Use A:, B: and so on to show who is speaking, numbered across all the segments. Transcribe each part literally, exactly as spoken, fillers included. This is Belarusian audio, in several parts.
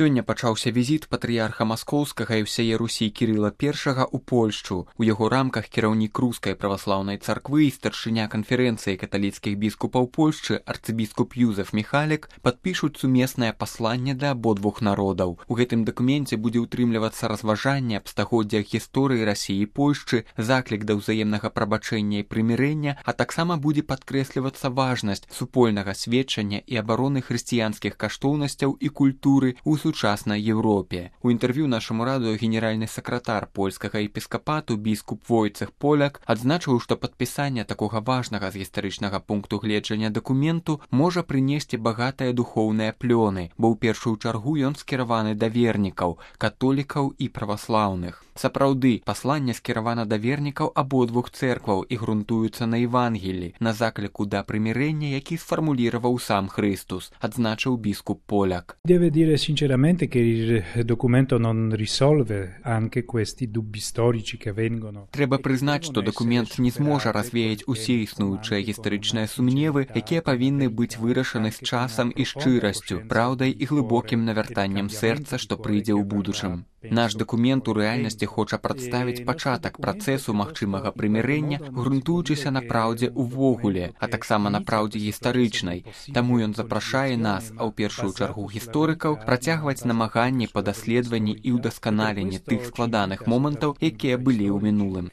A: Сёння пачаўся візіт патрыярха маскоўскага і ўсяе Русі Кірыла першага ў Польшчу. У яго рамках кіраўнік рускай праваслаўнай царквы і старшыня канферэнцыі каталіцкіх біскупаў Польшчы арцыбіскуп Юзеф Міхалек падпішуць сумеснае пасланне для абодвух народаў. У гэтым дакуменце будзе ўтрымлівацца разважанне аб стагоддзях гісторыі Расіі і Польшчы, заклік да ўзаемнага прабачэння і прымірэння, а таксама будзе падкрэслівацца важнасць супольнага сведчання і абароны хрысціянскіх каштоўнасцяў і культуры ў сучаснай Европе. У інтэрв'ю нашаму радыё генеральны сакратар польскага епіскапату біскуп Войцех Поляк адзначыў, што падпісанне такога важнага з гістарычнага пункту гледжання дакументу можа прынесці багатыя духоўныя плёны, бо ў першую чаргу ён скіраваны да вернікаў, католікаў і праваслаўных. Сапраўды, пасланне скіравана да вернікаў абодвух цэркваў і грунтуецца на Евангелі, на закліку да прымірэння, які сфармуліраваў сам Христус, адзначыў біскуп Поляк.
B: Deve dire sinceramente che il documento non risolve anche questi dubbi storici che vengono.
A: Трэба прызнаць, што дакумент не зможа развеяць усе існуючыя гістарычныя сумневы, якія павінны быць вырашаны з часам і шчырасцю, праўдай і глыбокім навяртаннем сэрца, што прыйдзе ў будучым. Наш дакумент у рэальнасці хоча прадставіць пачатак працэсу магчымага прымірэння, грунтуючыся на праўдзе ўвогуле, а таксама на праўдзе гістарычнай. Таму ён запрашае нас, а ў першую чаргу гісторыкаў, працягваць намаганні па даследаванні і ўдасканаленні тых складаных момантаў, якія былі ў мінулым.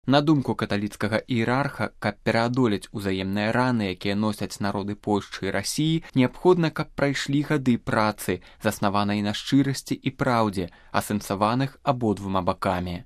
A: На думку каталіцкага іерарха, каб пераадолець узаемныя раны, якія носяць народы Польшчы і Расіі, неабходна, каб прайшлі гады працы, заснаванай на шчырасці і праўдзе, асэнсаваных абодвума бакамі.